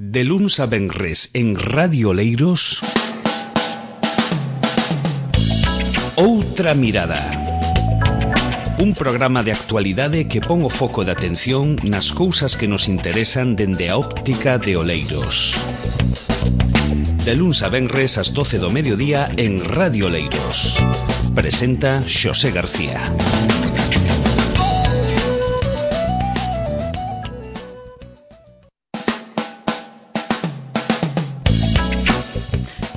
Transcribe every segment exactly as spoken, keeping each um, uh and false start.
De luns a venres en Radio Oleiros, Outra Mirada. Un programa de actualidade que pon o foco de atención nas cousas que nos interesan dende a óptica de Oleiros. De luns a venres ás doce do mediodía en Radio Oleiros. Presenta Xosé García.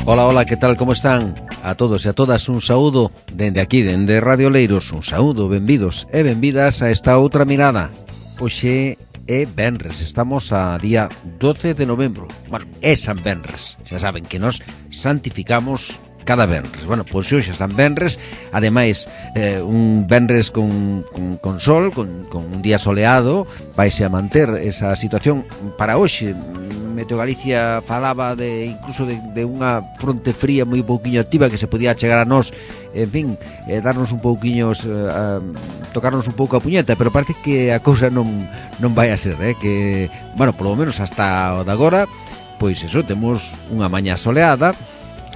Hola, hola, que tal, como están? A todos e a todas un saúdo dende aquí, dende Radio Oleiros. Un saúdo, benvidos e benvidas a esta outra mirada. Hoxe é venres, estamos a día doce de novembro. Bueno, é San Venres, xa saben que nos santificamos cada venres. Bueno, pois hoxe están venres, ademais eh, un venres con, con, con sol, con, con un día soleado. Vaise a manter esa situación para hoxe. Meteo Galicia falaba de incluso de, de unha fronte fría moi pouquiño activa que se podía chegar a nós, en fin, eh, darnos un pouquiño, eh, tocarnos un pouco a puñeta, pero parece que a cousa non non vai a ser, eh, que, bueno, polo menos hasta o de agora, pois eso, temos unha mañá soleada.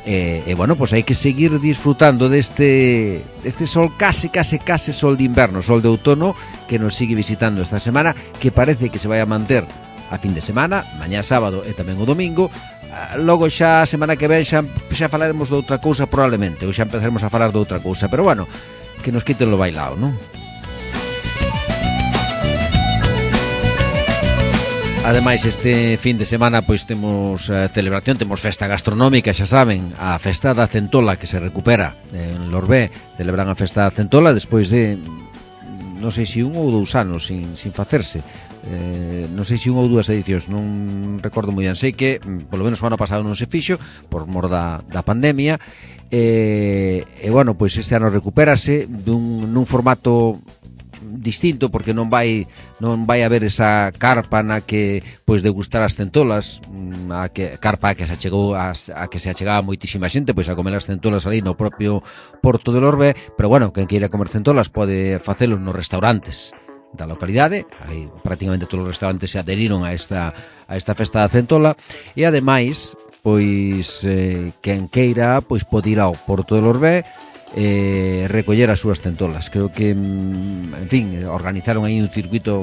E, e bueno, pois hai que seguir disfrutando deste deste sol case, case, case sol de inverno, sol de outono que nos sigue visitando esta semana, que parece que se vai a manter a fin de semana, mañá sábado e tamén o domingo. Logo xa a semana que ven xa, xa falaremos de outra cousa probablemente, ou xa empezaremos a falar de outra cousa, pero bueno, que nos quiten lo bailao, non? Ademais, este fin de semana pois temos eh, celebración, temos festa gastronómica, xa saben, a festa da centola que se recupera en Lorbé. Celebran a festa da centola despois de non sei se un ou dous anos sin, sin facerse, eh, non sei se un ou dúas edicións, non recordo moi ben. Sei que polo menos o ano pasado non se fixo por mor da, da pandemia, e, e bueno, pois este ano recupérase dun, nun formato distinto, porque non vai non vai haber esa carpa na que pois degustar as centolas, a que carpa a que se achegou a, a que se achegaba moitísima xente pois a comer as centolas ali no propio Porto de Lorbé, pero bueno, quen queira comer centolas pode facelo nos restaurantes da localidade. Aí prácticamente todos os restaurantes se adheriron a esta a esta festa da centola, e ademais pois eh, quen queira pois pode ir ao Porto de Lorbé eh, recoller as súas centolas. Creo que, en fin, organizaron aí un circuito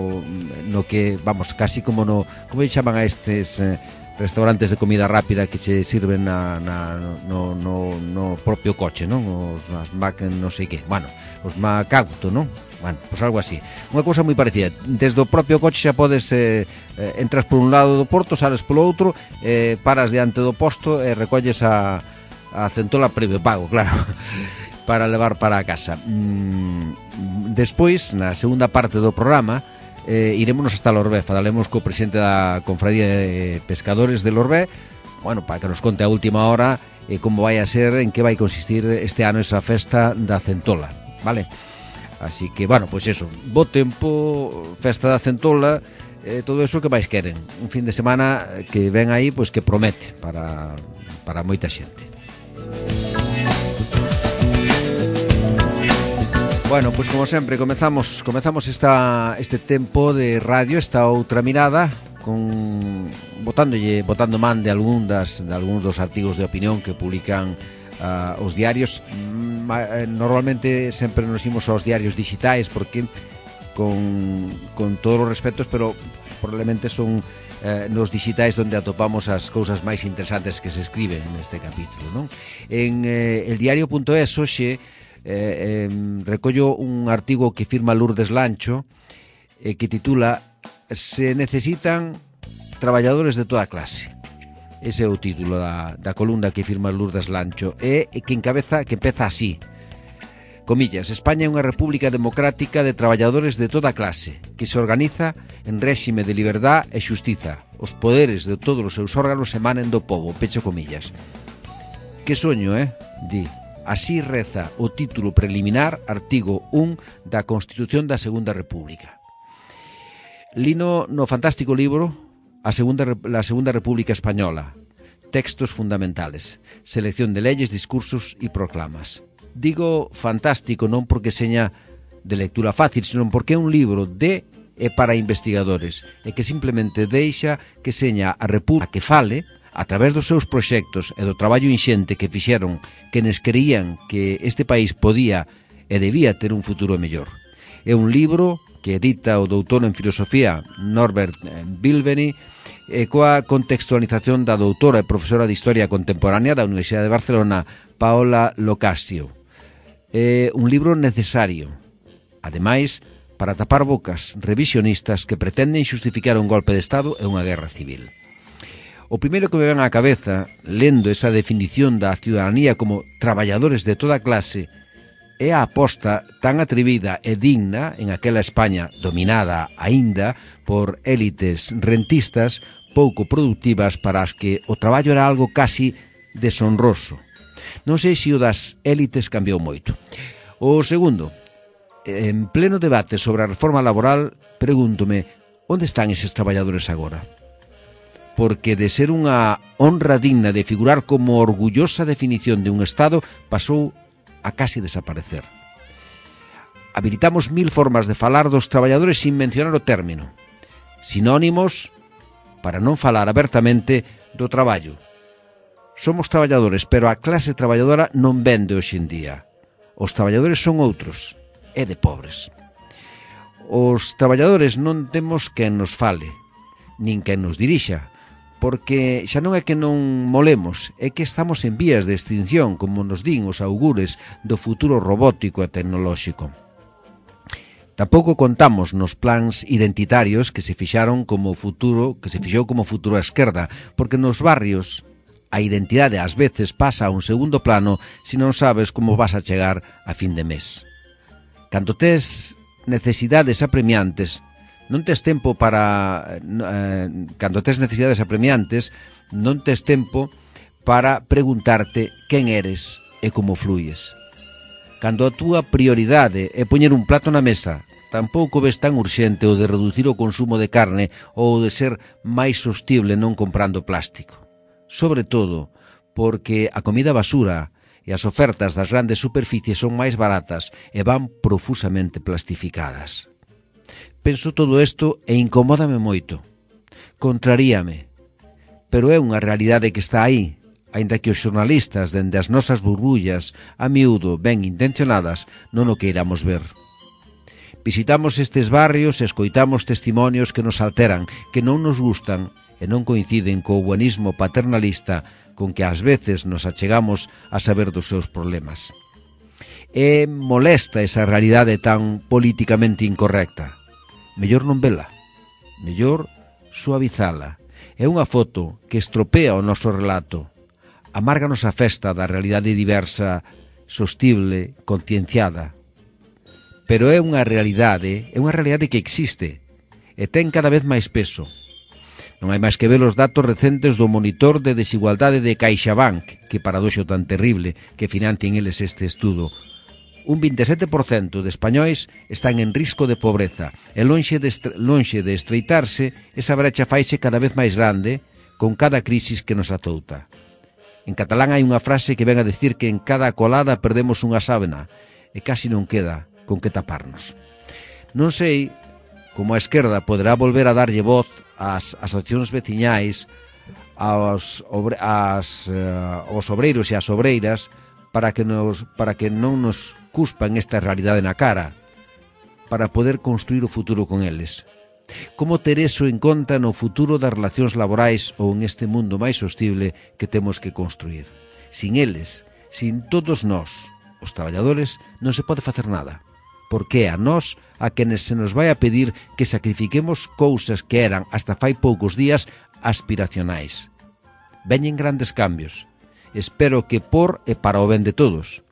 no que, vamos, casi como no, como chaman a estes eh, restaurantes de comida rápida que che sirven na, na, no, no, no propio coche, non? Os as mac, non sei que, bueno, os macauto, non? Bueno, pois algo así. Unha cousa moi parecida. Desde o propio coche xa podes eh, eh, entras por un lado do porto, sales polo outro, eh, paras diante do posto e recolles a, a centola previo pago, claro, para levar para a casa. Mm, despois, na segunda parte do programa, eh, irémonos hasta Lorbé, falaremos co presidente da Confradía de Pescadores de Lorbé, bueno, para que nos conte a última hora eh, como vai a ser, en que vai consistir este ano esa festa da centola, vale? Así que, bueno, pois eso, bo tempo, festa da centola, eh, todo eso que máis queren. Un fin de semana que ven aí, pois que promete para, para moita xente. Bueno, pois como sempre comezamos comezamos esta este tempo de radio, esta outra mirada, con botándolle botando man de algún das de algúns dos artigos de opinión que publican uh, os diarios. Normalmente sempre nos imos aos diarios digitais porque con con todos os respetos, pero probablemente son eh, nos digitais onde atopamos as cousas máis interesantes que se escriben neste capítulo, non? En eh, el diario punto es hoxe Eh, eh, recollo un artigo que firma Lourdes Lancho, eh, que titula "Se necesitan traballadores de toda clase". Ese é o título da, da columna que firma Lourdes Lancho, e que encabeza, que empeza así, comillas: "España é unha república democrática de traballadores de toda clase, que se organiza en réxime de liberdad e xustiza. Os poderes de todos os seus órganos emanen do pobo", pecho comillas. Que soño, eh? Di. Así reza o título preliminar, artigo un da Constitución da Segunda República. Lino no fantástico libro A Segunda, la Segunda República Española, textos fundamentales, selección de leyes, discursos e proclamas. Digo fantástico non porque seña de lectura fácil, sino porque é un libro de é para investigadores e que simplemente deixa que seña a República que fale a través dos seus proxectos e do traballo inxente que fixeron quenes creían que este país podía e debía ter un futuro mellor. É un libro que edita o doutor en filosofía Norbert Bilbeny e coa contextualización da doutora e profesora de Historia Contemporánea da Universidade de Barcelona, Paola Locasio. É un libro necesario, ademais, para tapar bocas revisionistas que pretenden xustificar un golpe de Estado e unha guerra civil. O primeiro que me ven á cabeza, lendo esa definición da ciudadanía como traballadores de toda clase, é a aposta tan atrevida e digna en aquela España dominada aínda por élites rentistas pouco productivas para as que o traballo era algo casi deshonroso. Non sei se o das élites cambiou moito. O segundo, en pleno debate sobre a reforma laboral, pregúntome, onde están eses traballadores agora? Porque de ser unha honra digna de figurar como orgullosa definición de un Estado, pasou a casi desaparecer. Habilitamos mil formas de falar dos traballadores sin mencionar o término. Sinónimos para non falar abertamente do traballo. Somos traballadores, pero a clase traballadora non vende hoxe en día. Os traballadores son outros. É de pobres. Os traballadores non temos quen nos fale, nin quen nos dirixa, porque xa non é que non molemos, é que estamos en vías de extinción, como nos din os augures do futuro robótico e tecnolóxico. Tampouco contamos nos plans identitarios que se fixaron como futuro, que se fixou como futuro a esquerda, porque nos barrios a identidade ás veces pasa a un segundo plano se non sabes como vas a chegar a fin de mes. Cando tes necesidades apremiantes, non tes tempo para... Eh, cando tes necesidades apremiantes, non tes tempo para preguntarte quen eres e como fluyes. Cando a túa prioridade é poñer un plato na mesa, tampouco ves tan urxente o de reducir o consumo de carne ou de ser máis sostible non comprando plástico. Sobre todo, porque a comida basura e as ofertas das grandes superficies son máis baratas e van profusamente plastificadas. Penso todo isto e incomódame moito. Contraríame. Pero é unha realidade que está aí, aínda que os xornalistas, dende as nosas burbullas, a miúdo ben intencionadas, non o queiramos ver. Visitamos estes barrios e escoitamos testimonios que nos alteran, que non nos gustan e non coinciden co buenismo paternalista con que ás veces nos achegamos a saber dos seus problemas. É molesta esa realidade tan políticamente incorrecta. Mellor non vela, mellor suavizala. É unha foto que estropea o noso relato, amárganos a festa da realidade diversa, sostible, concienciada. Pero é unha realidade, é unha realidade que existe e ten cada vez máis peso. Non hai máis que ver os datos recentes do monitor de desigualdade de CaixaBank, que paradoxo tan terrible que financien eles este estudo. Un vinte e sete por cento de españois están en risco de pobreza e lonxe de, estre lonxe de estreitarse, esa brecha faixe cada vez máis grande con cada crisis que nos atouta. En catalán hai unha frase que ven a decir que en cada colada perdemos unha sábana e casi non queda con que taparnos. Non sei como a esquerda poderá volver a darlle voz ás asociacións veciñais, aos, obre, as, uh, aos obreiros e as obreiras para que, nos, para que non nos cuspan esta realidade na cara, para poder construir o futuro con eles. Como ter eso en conta no futuro das relacións laborais ou en este mundo máis sostible que temos que construir? Sin eles, sin todos nós, os traballadores, non se pode facer nada. Porque é a nós a quenes se nos vai a pedir que sacrifiquemos cousas que eran, hasta fai poucos días, aspiracionais. Veñen grandes cambios. Espero que por e para o ben de todos.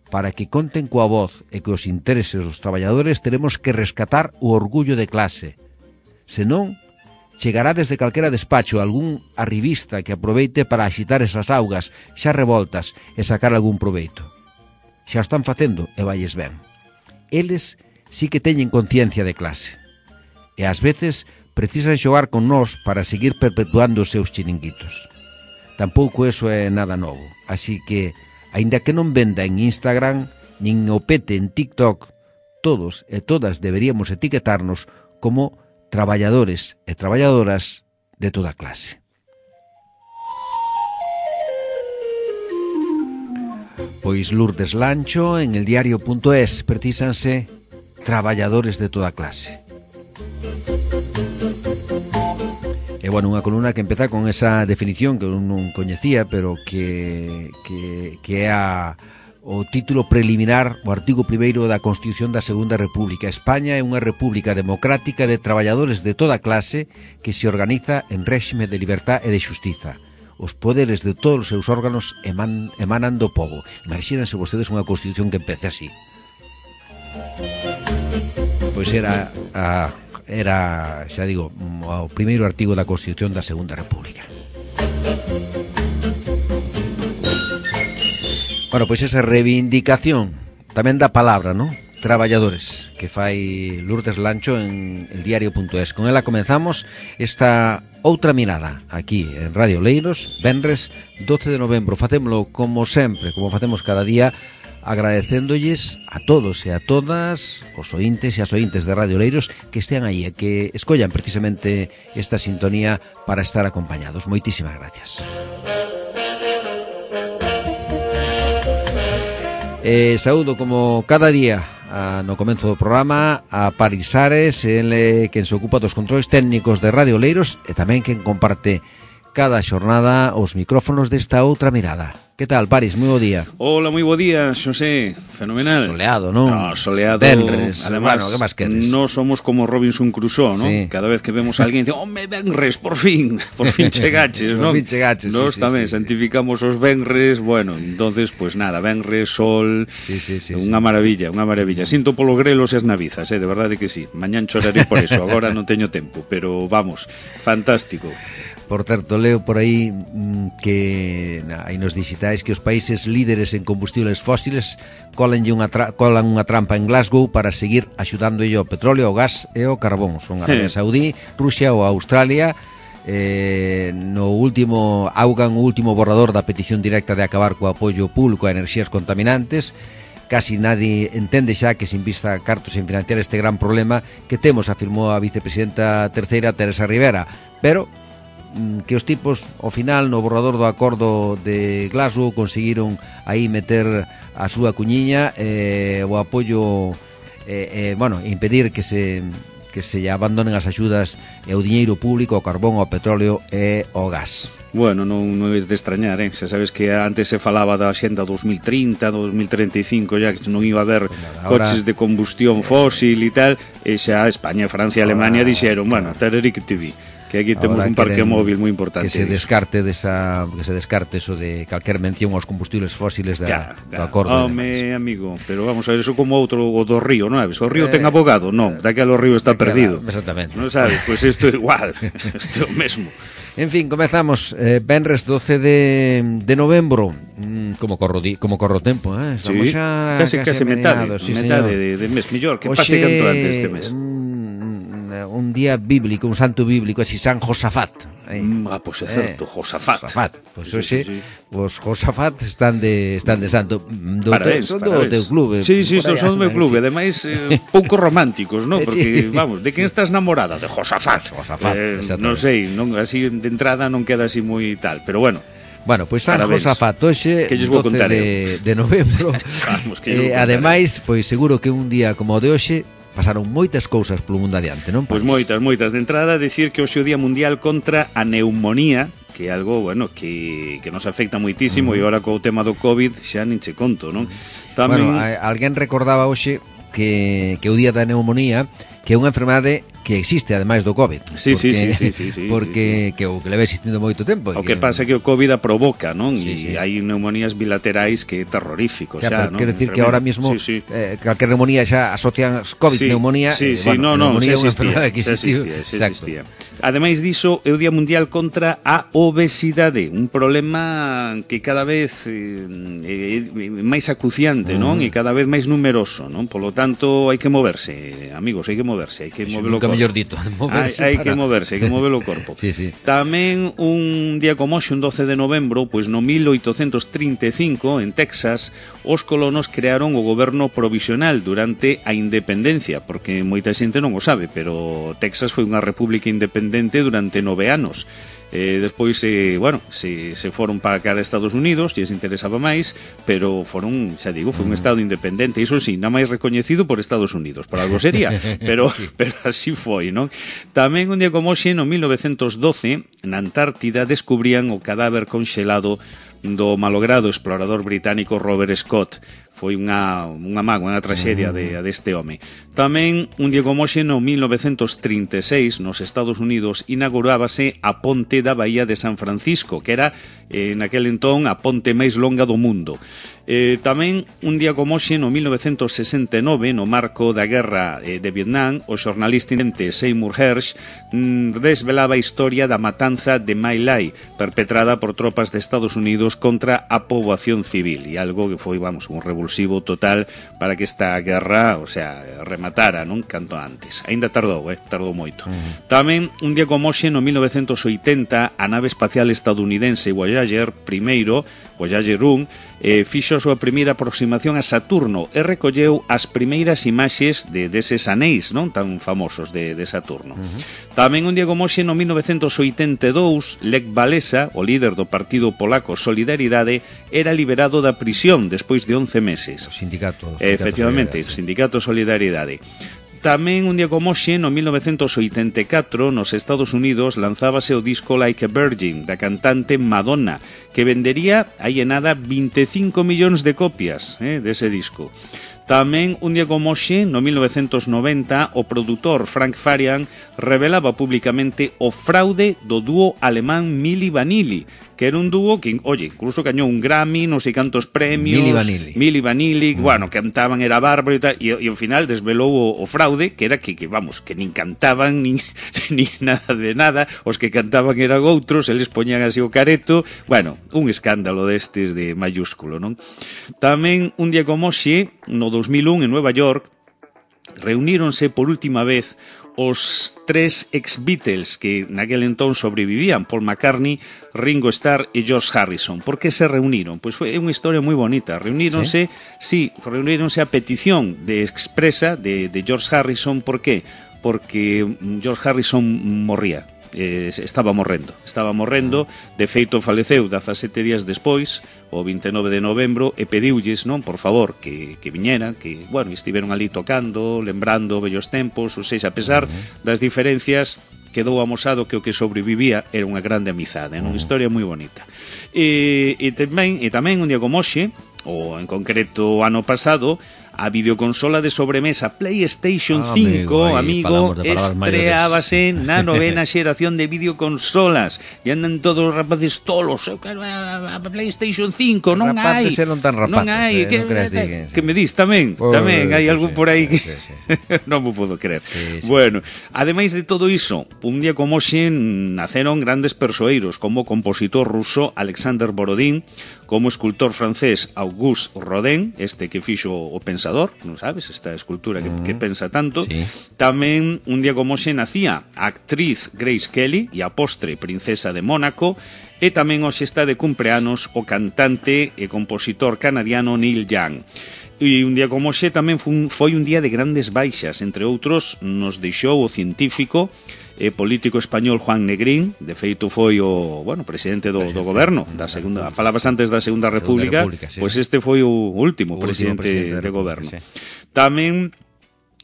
Para que conten coa voz e que os intereses dos traballadores teremos que rescatar o orgullo de clase. Senón, chegará desde calquera despacho algún arribista que aproveite para axitar esas augas xa revoltas e sacar algún proveito. Xa o están facendo e valles ben. Eles sí que teñen conciencia de clase e ás veces precisan xogar con nós para seguir perpetuando os seus chiringuitos. Tampouco eso é nada novo, así que, aínda que non venda en Instagram nin o pete en TikTok, todos e todas deberíamos etiquetarnos como traballadores e traballadoras de toda clase. Pois Lourdes Lancho en el diario punto es precisanse traballadores de toda clase. E, bueno, unha columna que empeza con esa definición que eu non coñecía, pero que, que, que é a, o título preliminar, o artigo primeiro da Constitución da Segunda República. España é unha república democrática de traballadores de toda clase que se organiza en réxime de libertad e de xustiza. Os poderes de todos os seus órganos eman, emanan do povo. Imagínense vostedes unha Constitución que empece así. Pois era a... era, xa digo, o primeiro artigo da Constitución da Segunda República. Bueno, pois esa reivindicación tamén da palabra, non? Traballadores, que fai Lourdes Lancho en el diario punto es. Con ela comenzamos esta outra mirada aquí en Radio Leiros, venres doce de novembro. Facémolo como sempre, como facemos cada día, agradecéndolles a todos e a todas os ointes e as ointes de Radio Leiros que estean aí e que escollan precisamente esta sintonía para estar acompañados. Moitísimas gracias. Eh, saúdo como cada día a, no comenzo do programa a Paris Ares, ele quen se ocupa dos controles técnicos de Radio Leiros e tamén quen comparte cada xornada os micrófonos desta outra mirada. Que tal, Paris? Moi bo día. Hola, moi bo día, Xosé. Fenomenal. Soleado, non? No, soleado. Venres. Además, bueno, que máis queres? No somos como Robinson Crusoe, ¿no? Sí. Cada vez que vemos a alguén dice, home, venres, por fin, por fin chegaches, ¿no? Por fin chegaches, Nos sí, tamén sí, sí. santificamos os venres, bueno, entonces, pues nada, venres, sol, sí, sí, sí, unha sí. maravilla, unha maravilla. Sinto polo grelos e as navizas, eh, de verdade que sí. Mañán choraré por eso, agora non teño tempo, pero vamos, fantástico. Por certo, leo por aí mm, que na, aí nos digitais que os países líderes en combustibles fósiles colanlle unha tra colan unha trampa en Glasgow para seguir axudándolle ao petróleo, ao gas e ao carbón. Son Arabia Saudí, Rusia ou Australia. Eh, no último augan o último borrador da petición directa de acabar co apoio público a enerxías contaminantes. Casi nadie entende xa que se invista cartos en financiar este gran problema que temos, afirmou a vicepresidenta terceira Teresa Rivera, pero que os tipos, ao final, no borrador do acordo de Glasgow conseguiron aí meter a súa cuñiña eh, o apoio eh, eh, bueno, impedir que se que se abandonen as axudas e o diñeiro público ao carbón, ao petróleo e ao gas. Bueno, non, non é de extrañar, eh? Xa sabes que antes se falaba da Axenda dos mil trinta, dos mil treinta e cinco, ya que non iba a haber ahora, coches de combustión fósil e tal, e xa España, Francia e Alemania ahora, dixeron, bueno, tarari que te vi. Que aquí temos un parque móvil moi importante. Que se descarte desa, que se descarte eso de calquer mención aos combustibles fósiles da, ya, do acordo. Home, amigo, pero vamos a ver, eso como outro o do río, non sabes? O río eh, ten abogado, non, daquela o río está perdido. Exactamente. Non sabes, pois pues isto é igual, isto é o mesmo. En fin, comezamos eh, venres doce de, de novembro. mm, como corro di, como corro tempo, eh? Estamos sí, xa casi, casi, casi metade, sí, metade de, de mes, mellor que Oxe, pase canto antes este mes. Un día bíblico, un santo bíblico, así San Josafat. Eh. Mm, ah, pois pues é certo, eh, Josafat. Josafat. Pois pues, sí, hoxe, sí, sí. os Josafat están de están de santo. Do parabéns, son do teu clube. Sí, sí, son, son do meu clube, sí. Ademais eh, pouco románticos, non? Porque, sí. vamos, de quen estás namorada? De Josafat. Josafat, eh, non sei, non, así de entrada non queda así moi tal, pero bueno. Bueno, pois pues San Josafat hoxe doce de, de novembro. Vamos, que eh, ademais, pois pues, seguro que un día como o de hoxe pasaron moitas cousas polo mundo adiante, non? Pois pues moitas, moitas. De entrada, decir que hoxe é o Día Mundial contra a Neumonía, que é algo, bueno, que, que nos afecta moitísimo, uh -huh. e agora co tema do COVID xa nin che conto, non? Tamén... Bueno, a, alguén recordaba hoxe que, que o Día da Neumonía, que é unha enfermedade que existe ademais do COVID. Sí, porque, sí, sí, sí, sí, porque sí, sí. que o que leva existindo moito tempo. O que, que pasa é que o COVID a provoca, non? Sí, e sí. hai neumonías bilaterais que é terrorífico, xa, xa, non? Quero dicir que ahora mismo sí, sí. Eh, calquer neumonía xa asocian COVID, sí, neumonía, sí, eh, sí, bueno, no, no, neumonía é unha existía, enfermedade que existiu. Existía, existía. Ademais diso, é o Día Mundial contra a obesidade, un problema que cada vez eh, é máis acuciante, mm. non? E cada vez máis numeroso, non? Polo tanto, hai que moverse, amigos, hai que moverse, hai que sí, moverlo nunca mellor dito, moverse hai, hai para... que moverse, hai que mover o corpo. Sí, sí. Tamén un día como hoxe, un doce de novembro, pois no mil oitocentos trinta e cinco, en Texas, os colonos crearon o goberno provisional durante a independencia, porque moita xente non o sabe, pero Texas foi unha república independente durante nove anos. Eh, despois, eh, bueno, se, se foron para cara a Estados Unidos, lles interesaba máis, pero foron, xa digo, foi un estado independente, iso sí, nada máis recoñecido por Estados Unidos, por algo sería, pero, sí. pero así foi, non? Tamén un día como hoxe, no mil novecentos doce, na Antártida descubrían o cadáver conxelado do malogrado explorador británico Robert Scott. Foi unha, unha mágoa, unha traxedia de, deste home. Tamén, un día como hoxe, no mil novecentos trinta e seis, nos Estados Unidos, inaugurábase a ponte da Bahía de San Francisco, que era, eh, naquel entón, a ponte máis longa do mundo. Eh, tamén, un día como hoxe, no mil novecentos sesenta e nove, no marco da guerra eh, de Vietnam, o xornalista independente Seymour Hersh mm, desvelaba a historia da matanza de My Lai, perpetrada por tropas de Estados Unidos contra a poboación civil, e algo que foi, vamos, un revolución total para que esta guerra, o sea, rematara, non? Canto antes. Ainda tardou, eh? Tardou moito. Uh-huh. Tamén, un día como hoxe, no mil novecentos oitenta, a nave espacial estadounidense Voyager primeiro, Voyager un, eh, fixo a súa primeira aproximación a Saturno e recolleu as primeiras imaxes de deses anéis, non? Tan famosos de, de Saturno. Uh-huh. Tamén, un día como hoxe, no mil novecentos oitenta e dous, Lech Walesa, o líder do partido polaco Solidaridade, era liberado da prisión despois de once meses. O sindicato, o sindicato Efectivamente, o sindicato Solidaridade. Tamén, un día como hoxe, no mil novecentos oitenta e catro, nos Estados Unidos lanzábase o disco Like a Virgin, da cantante Madonna, que vendería, aí en nada, vinte e cinco millóns de copias eh, dese disco. Tamén, un día como hoxe, no mil novecentos noventa, o produtor Frank Farian revelaba públicamente o fraude do dúo alemán Milli Vanilli, que era un dúo que, oye, incluso gañou un Grammy, non sei cantos premios. Milli Vanilli. Milli Vanilli, mm. bueno, cantaban, era bárbaro e tal, e, e ao final desvelou o, o fraude, que era que, que vamos, que nin cantaban, nin, nin nada de nada, os que cantaban eran outros, eles poñían así o careto, bueno, un escándalo destes de mayúsculo, non? Tamén, un día como hoxe, no dos mil un, en Nueva York, reuníronse por última vez os tres ex-Beatles que naquel entón sobrevivían, Paul McCartney, Ringo Starr e George Harrison. Por que se reuniron? Pois foi unha historia moi bonita. Reuníronse, sí, sí reuníronse a petición de expresa de, de George Harrison. Por qué? Porque George Harrison morría. Eh, estaba morrendo, estaba morrendo, de feito faleceu dezasete días despois, o vinte e nove de novembro, e pediulles, non, por favor, que, que viñeran, que, bueno, estiveron ali tocando, lembrando vellos tempos, ou seja, a pesar das diferencias, quedou amosado que o que sobrevivía era unha grande amizade, non? Unha historia moi bonita. E, e, tamén, e tamén un día como hoxe, ou en concreto ano pasado, a videoconsola de sobremesa PlayStation ah, cinco, amigo, amigo estreábase na novena xeración de videoconsolas e andan todos os rapaces tolos, eu quero a, a PlayStation cinco, non hai. Rapaces non tan rapaces, non hai, eh, que, non creas que, que, que me dis tamén, por, tamén hai sí, algo sí, por aí que sí, sí, sí. non me podo creer. Sí, sí. Bueno, ademais de todo iso, un día como hoxe naceron grandes persoeiros como o compositor ruso Alexander Borodín, como escultor francés Auguste Rodin, este que fixo o Pensador, non sabes, esta escultura que, que pensa tanto. Sí. Tamén, un día como hoxe nacía a actriz Grace Kelly e a postre princesa de Mónaco, e tamén hoxe está de cumpleanos o cantante e compositor canadiano Neil Young. E un día como hoxe tamén foi un día de grandes baixas, entre outros nos deixou o científico e político español Juan Negrín, de feito foi o, bueno, presidente do, do goberno da segunda, falabas antes da Segunda República, República sí. Pois este foi o último o presidente, último presidente de goberno. Sí. Tamén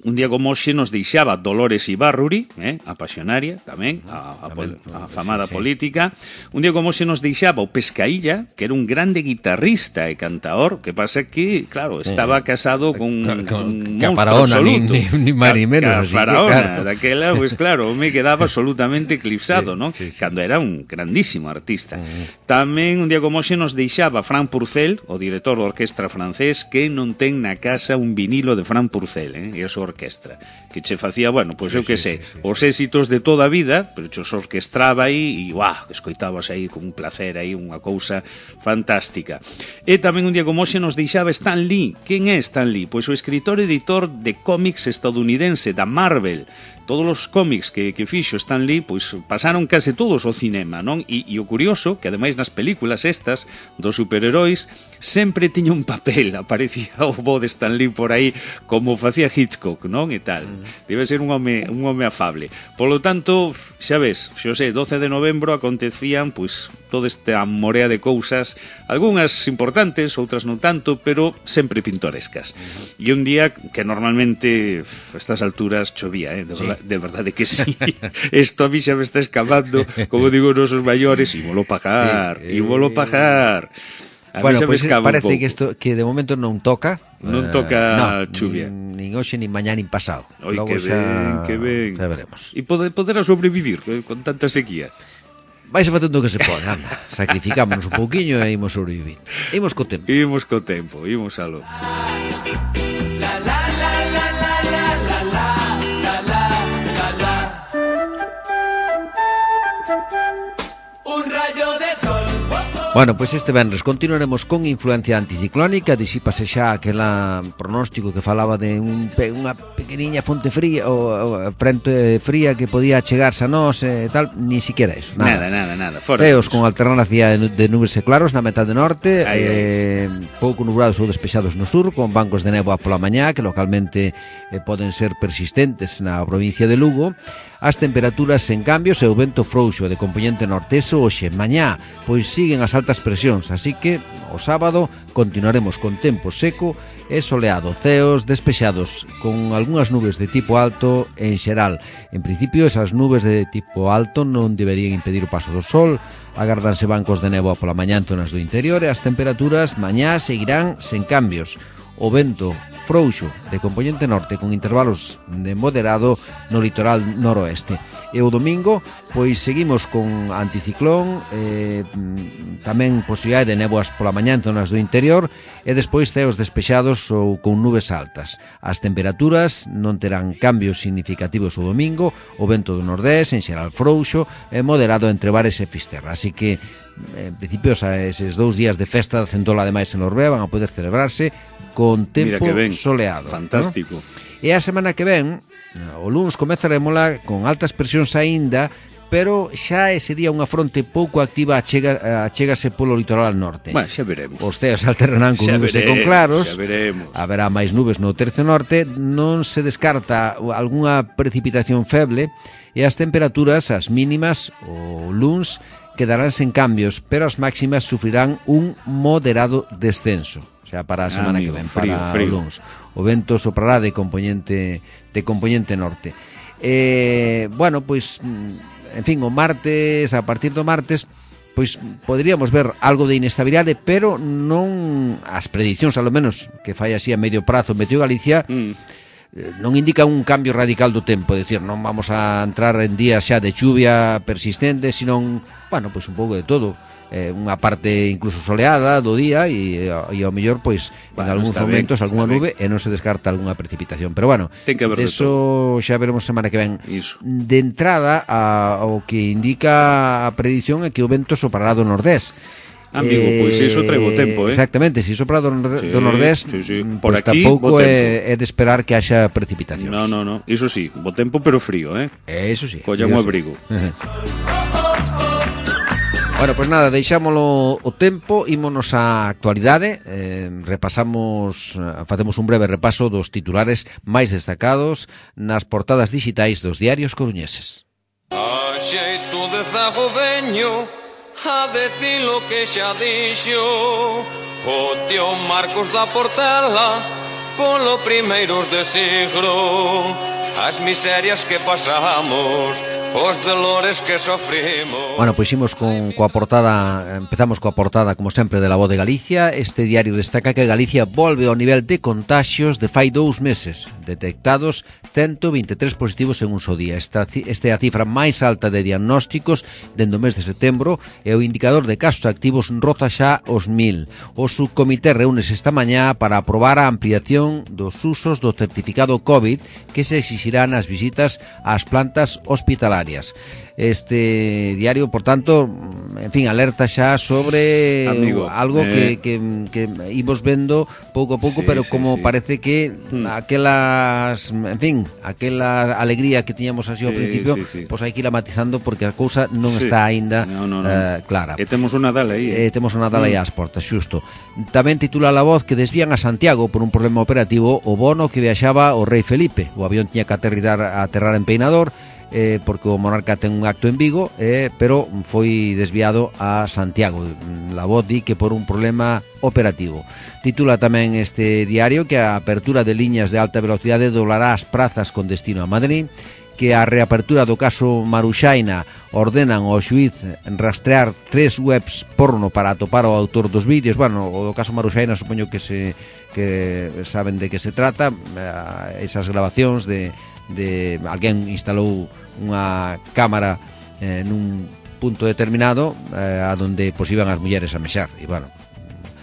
un día como hoxe nos deixaba Dolores Ibárruri, eh, a pasionaria tamén, a, a, a, a famada sí, sí. política. Un día como hoxe nos deixaba o Pescaílla, que era un grande guitarrista e cantaor, que pasa que, claro, estaba casado con, con, con un monstro absoluto. Ni, ni, ni más ni menos. Ca, faraona, claro. Daquela, pues claro, me quedaba absolutamente eclipsado, sí, ¿no? Sí, sí. Cando era un grandísimo artista. Uh-huh. Tamén un día como hoxe nos deixaba Frank Purcell, o director da orquestra francés, que non ten na casa un vinilo de Frank Purcell, eh? E eso orquestra, que che facía, bueno, pois pues, sí, eu que sí, sei, sí, sí, os éxitos de toda a vida, pero che os orquestraba aí e, uah, escoitabas aí con un placer aí, unha cousa fantástica. E tamén un día como hoxe nos deixaba Stan Lee. Quen é Stan Lee? Pois o escritor e editor de cómics estadounidense da Marvel. todos os cómics que, que fixo Stan Lee, pois pasaron case todos ao cinema, non? E, e o curioso, que ademais nas películas estas dos superheróis sempre tiña un papel, aparecía o bo de Stan Lee por aí, como facía Hitchcock, non? E tal. Debe ser un home, un home afable. Polo tanto, xa ves, xo sei, doce de novembro acontecían, pois, toda esta morea de cousas, algunhas importantes, outras non tanto, pero sempre pintorescas. E un día que normalmente a estas alturas chovía, eh? de, sí. verdad, de verdade que sí. Esto a mí xa me está escapando, como digo nosos maiores, ímolo pagar, sí. ímolo pagar. A bueno, pois pues parece que isto que de momento non toca. Non toca uh, no, chuvia. Nin, nin hoxe, nin mañá, nin pasado. Oi, logo que xa, ben, que ben. Xa veremos. E poder, poderá sobrevivir con tanta sequía. Vais facendo o que se pode, anda. Sacrificámonos un pouquiño e imos sobrevivir. Imos co tempo. Imos co tempo, imos alo. Bueno, pois pues este venres continuaremos con influencia anticiclónica. Disípase xa aquela pronóstico que falaba de un, unha pequeniña fonte fría ou, ou frente fría que podía chegarse a nós e tal, ni siquiera eso, nada. Nada, nada, nada. Fora Teos con alternancia de nubes e claros na metade norte, ai, eh, ai. pouco nublados ou despexados no sur, con bancos de néboa pola mañá que localmente eh, poden ser persistentes na provincia de Lugo. As temperaturas en cambios e o vento frouxo de componente norteso hoxe mañá, pois siguen as altas presións, así que o sábado continuaremos con tempo seco e soleado, ceos despexados con algunhas nubes de tipo alto en xeral. En principio, esas nubes de tipo alto non deberían impedir o paso do sol, agardanse bancos de néboa pola mañá en zonas do interior e as temperaturas mañá seguirán sen cambios. O vento frouxo de componente norte con intervalos de moderado no litoral noroeste. E o domingo, pois seguimos con anticiclón, eh, tamén posibilidade de néboas pola mañá en zonas do interior e despois ceos despexados ou con nubes altas. As temperaturas non terán cambios significativos o domingo, o vento do nordés en xeral frouxo e moderado entre Bares e Fisterra. Así que en principio eses dous días de festa de Centola ademais en Orbea van a poder celebrarse con tempo soleado. Fantástico. ¿no? E a semana que ven, o luns comezarémola con altas presións aínda, pero xa ese día unha fronte pouco activa achega, achégase polo litoral norte. Bueno, xa veremos. Os ceos alternarán con xa nubes veremos, e con claros. Xa veremos. Haberá máis nubes no tercio norte, non se descarta algunha precipitación feble e as temperaturas, as mínimas, o luns, quedarán sen cambios, pero as máximas sufrirán un moderado descenso. O sea, para a semana ah, amigo, que ven, frío, para frío. O luns. O vento soprará de componente de componente norte. Eh, bueno, pois, en fin, o martes, a partir do martes, pois poderíamos ver algo de inestabilidade, pero non as predicións, ao menos, que fai así a medio prazo Meteo Galicia, mm. non indica un cambio radical do tempo, é dicir, non vamos a entrar en días xa de chuvia persistente, senón, bueno, pois un pouco de todo. Eh, unha parte incluso soleada do día e, e ao mellor pois bueno, en algúns momentos ben, algunha nube ben. E non se descarta algunha precipitación, pero bueno, ten que haber de eso xa veremos semana que ven. Iso. De entrada a, o que indica a predición é que o vento soprará do nordés. Amigo, eh, pois iso trae bo tempo, eh? Exactamente, se sopra do, nord- sí, do nordés, sí, sí. Por pues aquí, tampouco é, é de esperar que haxa precipitacións. No, no, no, iso sí, bo tempo pero frío, eh? Eso sí. Collan o abrigo. Bueno, pois pues nada, deixámolo o tempo, ímonos á actualidade, eh, repasamos, facemos un breve repaso dos titulares máis destacados nas portadas digitais dos diarios coruñeses. A xeito de zago veño a decir lo que xa dixo o tío Marcos da Portela polo primeiros de siglo, as miserias que pasamos, os dolores que sofrimos. Bueno, pois imos con coa portada, empezamos coa portada como sempre de La Voz de Galicia. Este diario destaca que Galicia volve ao nivel de contaxios de fai dous meses, detectados ciento vinte e tres positivos en un só día. Esta, esta é a cifra máis alta de diagnósticos dende o mes de setembro e o indicador de casos activos roza xa os mil. O subcomité reúnese esta mañá para aprobar a ampliación dos usos do certificado COVID que se exixirá nas visitas ás plantas hospitalarias. Este diario, por tanto, en fin, alerta xa sobre Amigo, algo eh... que, que, que imos vendo pouco a pouco, sí, pero como sí, sí. parece que hmm. aquelas, en fin, aquela alegría que tiñamos así ao sí, principio, sí, sí. pois hai que ir matizando porque a cousa non sí. está aínda no, no, no. Uh, clara. E temos un Nadal aí. Eh? E temos un Nadal aí ás portas, xusto. Tamén titula La Voz que desvían a Santiago por un problema operativo o bono que viaxaba o rei Felipe. O avión tiña que aterrizar, aterrar en Peinador, Eh, porque o monarca ten un acto en Vigo, eh, pero foi desviado a Santiago. La Voz di que por un problema operativo. Titula tamén este diario que a apertura de liñas de alta velocidade doblará as prazas con destino a Madrid, que a reapertura do caso Maruxaina ordenan ao xuíz rastrear tres webs porno para atopar o autor dos vídeos. Bueno, o do caso Maruxaina supoño que se que saben de que se trata, eh, esas grabacións de de alguén instalou unha cámara eh, nun punto determinado eh, a donde pois iban as mulleres a mexar e bueno,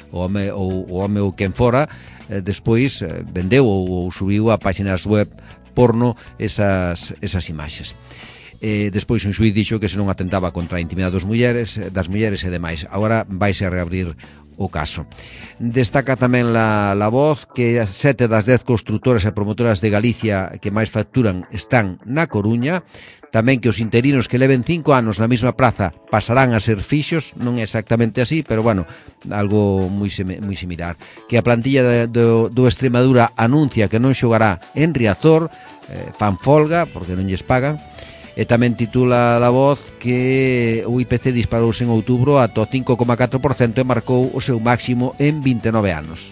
o home ou o home ou quen fora eh, despois eh, vendeu ou, ou subiu a páxinas web porno esas, esas imaxes. Eh, despois un xuíz dixo que se non atentaba contra a intimidade das mulleres, das mulleres e demais. Agora vaise a reabrir o caso. Destaca tamén la, la Voz que sete das dez construtoras e promotoras de Galicia que máis facturan están na Coruña. Tamén que os interinos que leven cinco anos na mesma praza pasarán a ser fixos, non é exactamente así, pero bueno, algo moi, moi similar. Que a plantilla de, do, do Extremadura anuncia que non xogará en Riazor, eh, fan folga porque non lles pagan. E tamén titula La Voz que o I P C disparouse en outubro ata o cinco coma catro por cento e marcou o seu máximo en vinte e nove anos.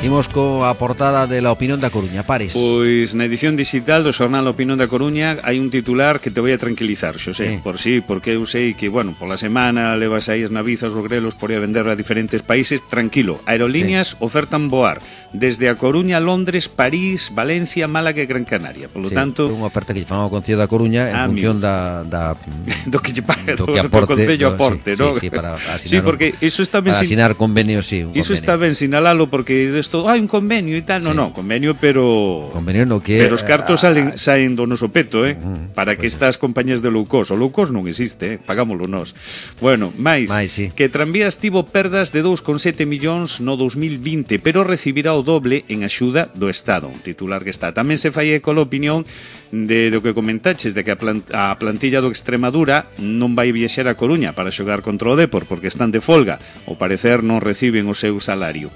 Imos coa portada de La Opinión da Coruña, Pares. Pois na edición digital do xornal La Opinión da Coruña hai un titular que te vai a tranquilizar, Xosé, sí. por si, sí, porque eu sei que, bueno, pola semana levas aí as navizas, os grelos por ir a vender a diferentes países, tranquilo. Aerolíneas sí. ofertan voar desde a Coruña, Londres, París, Valencia, Málaga e Gran Canaria. Por lo sí, tanto, unha oferta que lle fan ao Concello da Coruña en función da, da do que lle paga, do, do que aporte, do Concello aporte, sí, ¿no? Sí, sí, para asinar, sí, porque eso está ben para asinar convenios, sí, un Iso convenio. está ben sinalalo porque isto, hai un convenio e tal, no, sí. no, convenio, pero convenio no que pero os cartos salen saen do noso peto, eh, uh, para que pues estas compañías de low cost, o low cost non existe, eh, pagámoslo nós. Bueno, máis, máis sí. que Tranvías tivo perdas de dous coma sete millóns no dos mil vinte, pero recibirá o doble en axuda do Estado, un titular que está. Tamén se fai eco a opinión de do que comentaches, de que a, plant, a plantilla do Extremadura non vai viaxar a Coruña para xogar contra o Depor porque están de folga, ao parecer non reciben o seu salario.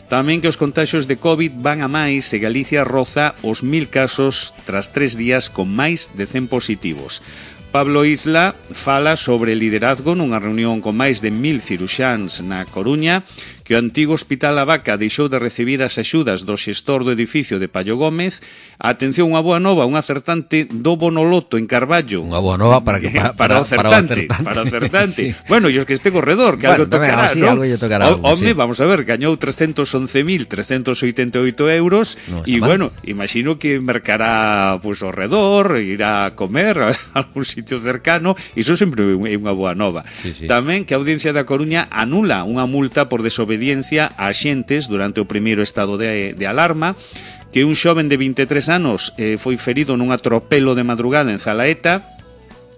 Tamén que os contaxios de COVID van a máis e Galicia roza os mil casos tras tres días con máis de cen positivos. Pablo Isla fala sobre liderazgo nunha reunión con máis de mil ciruxáns na Coruña, que o antigo Hospital A Vaca deixou de recibir as axudas do xestor do edificio de Payo Gómez. Atención, unha boa nova, un acertante do Bonoloto en Carballo. Unha boa nova para que para, para, para, para, o acertante, para, para o acertante. Sí. Bueno, e os que este corredor, que bueno, algo tocará, así, ¿no? Algo tocará, o, home, sí. vamos a ver, gañou trescentos once mil trescentos oitenta e oito euros no, e, bueno, imagino que mercará pues, ao redor, irá a comer a algún sitio cercano, iso sempre é unha boa nova. Sí, sí. Tamén que a Audiencia da Coruña anula unha multa por desobediencia a xentes durante o primeiro estado de, de alarma, que un xoven de vinte e tres anos eh, foi ferido nun atropelo de madrugada en Zalaeta,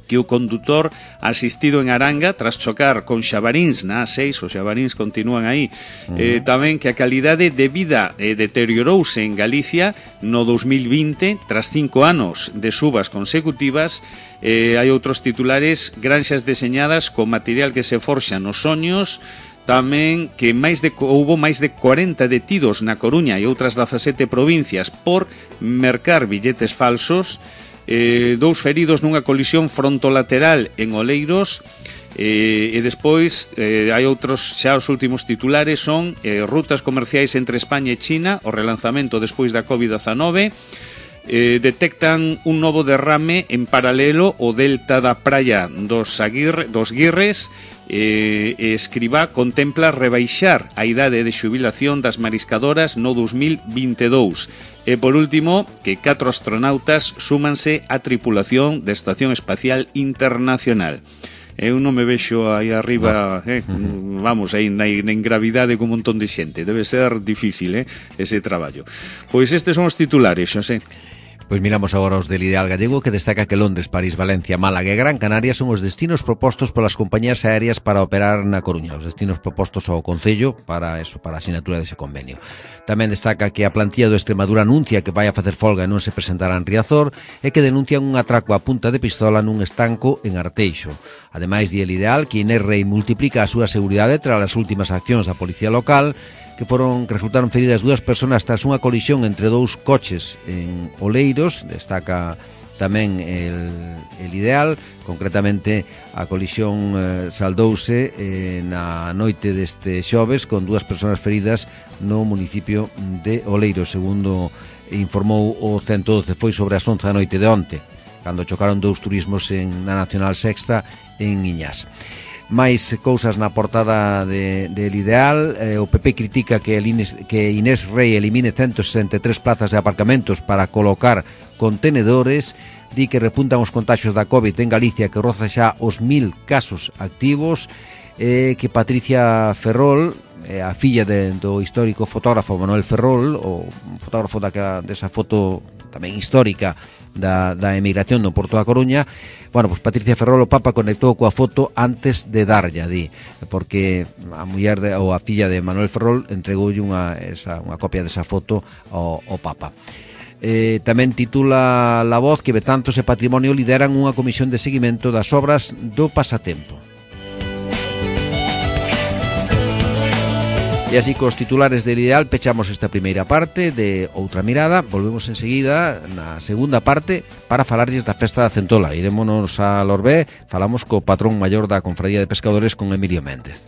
que o condutor asistido en Aranga tras chocar con xabaríns na A seis, os xabaríns continúan aí. Uh-huh. eh, tamén que a calidade de vida eh, deteriorouse en Galicia no dos mil vinte tras cinco anos de subas consecutivas. Eh, hai outros titulares: granxas deseñadas con material que se forxa nos soños. Tamén que máis de, houbo máis de corenta detidos na Coruña e outras dezasete provincias por mercar billetes falsos. Eh, dous feridos nunha colisión frontolateral en Oleiros. Eh, e despois eh, hai outros, xa os últimos titulares son eh, rutas comerciais entre España e China, o relanzamento despois da covid dezenove. Eh, detectan un novo derrame en paralelo o delta da praia dos, Aguirre, dos Guirres. Eh, Escribá contempla rebaixar a idade de xubilación das mariscadoras no dos mil vinte e dous. E por último, que catro astronautas súmanse á tripulación da Estación Espacial Internacional. Eu non me vexo aí arriba, eh, vamos, aí na, na gravidade con un montón de xente. Debe ser difícil, eh, ese traballo. Pois estes son os titulares, Xosé. Pois miramos agora os del Ideal Gallego, que destaca que Londres, París, Valencia, Málaga e Gran Canaria son os destinos propostos polas compañías aéreas para operar na Coruña, os destinos propostos ao Concello para eso, para a asinatura dese convenio. Tamén destaca que a plantilla do Extremadura anuncia que vai a facer folga e non se presentará en Riazor e que denuncian un atraco a punta de pistola nun estanco en Arteixo. Ademais, di el Ideal que Inés Rei multiplica a súa seguridade tras as últimas accións da Policía Local, que foron que resultaron feridas dúas persoas tras unha colisión entre dous coches en Oleiros. Destaca tamén el, el Ideal, concretamente a colisión eh, saldouse eh, na noite deste xoves con dúas persoas feridas no municipio de Oleiros, segundo informou o ciento doce. Foi sobre as once da noite de onte, cando chocaron dous turismos en, na Nacional Sexta en Iñás. máis cousas na portada de, del Ideal. eh, o P P critica que, el Inés, que Inés Rei elimine ciento sesenta e tres plazas de aparcamentos para colocar contenedores. Di que repuntan os contaxios da COVID en Galicia, que roza xa os mil casos activos. eh, que Patricia Ferrol, eh, a filla de, do histórico fotógrafo Manuel Ferrol, o fotógrafo da, desa foto tamén histórica da, da emigración do Porto da Coruña. Bueno, pues Patricia Ferrol, o Papa conectou coa foto antes de darlla, di, porque a muller de, ou a filla de Manuel Ferrol entregoulle unha, esa, unha copia desa foto ao, ao Papa. Eh, tamén titula La Voz que Betanzos e Patrimonio lideran unha comisión de seguimento das obras do Pasatempo. E así cos titulares del Ideal pechamos esta primeira parte de Outra Mirada. Volvemos enseguida na segunda parte para falarlles da festa da Centola. Irémonos a Lorbé, falamos co patrón maior da Confraría de Pescadores, con Emilio Méndez.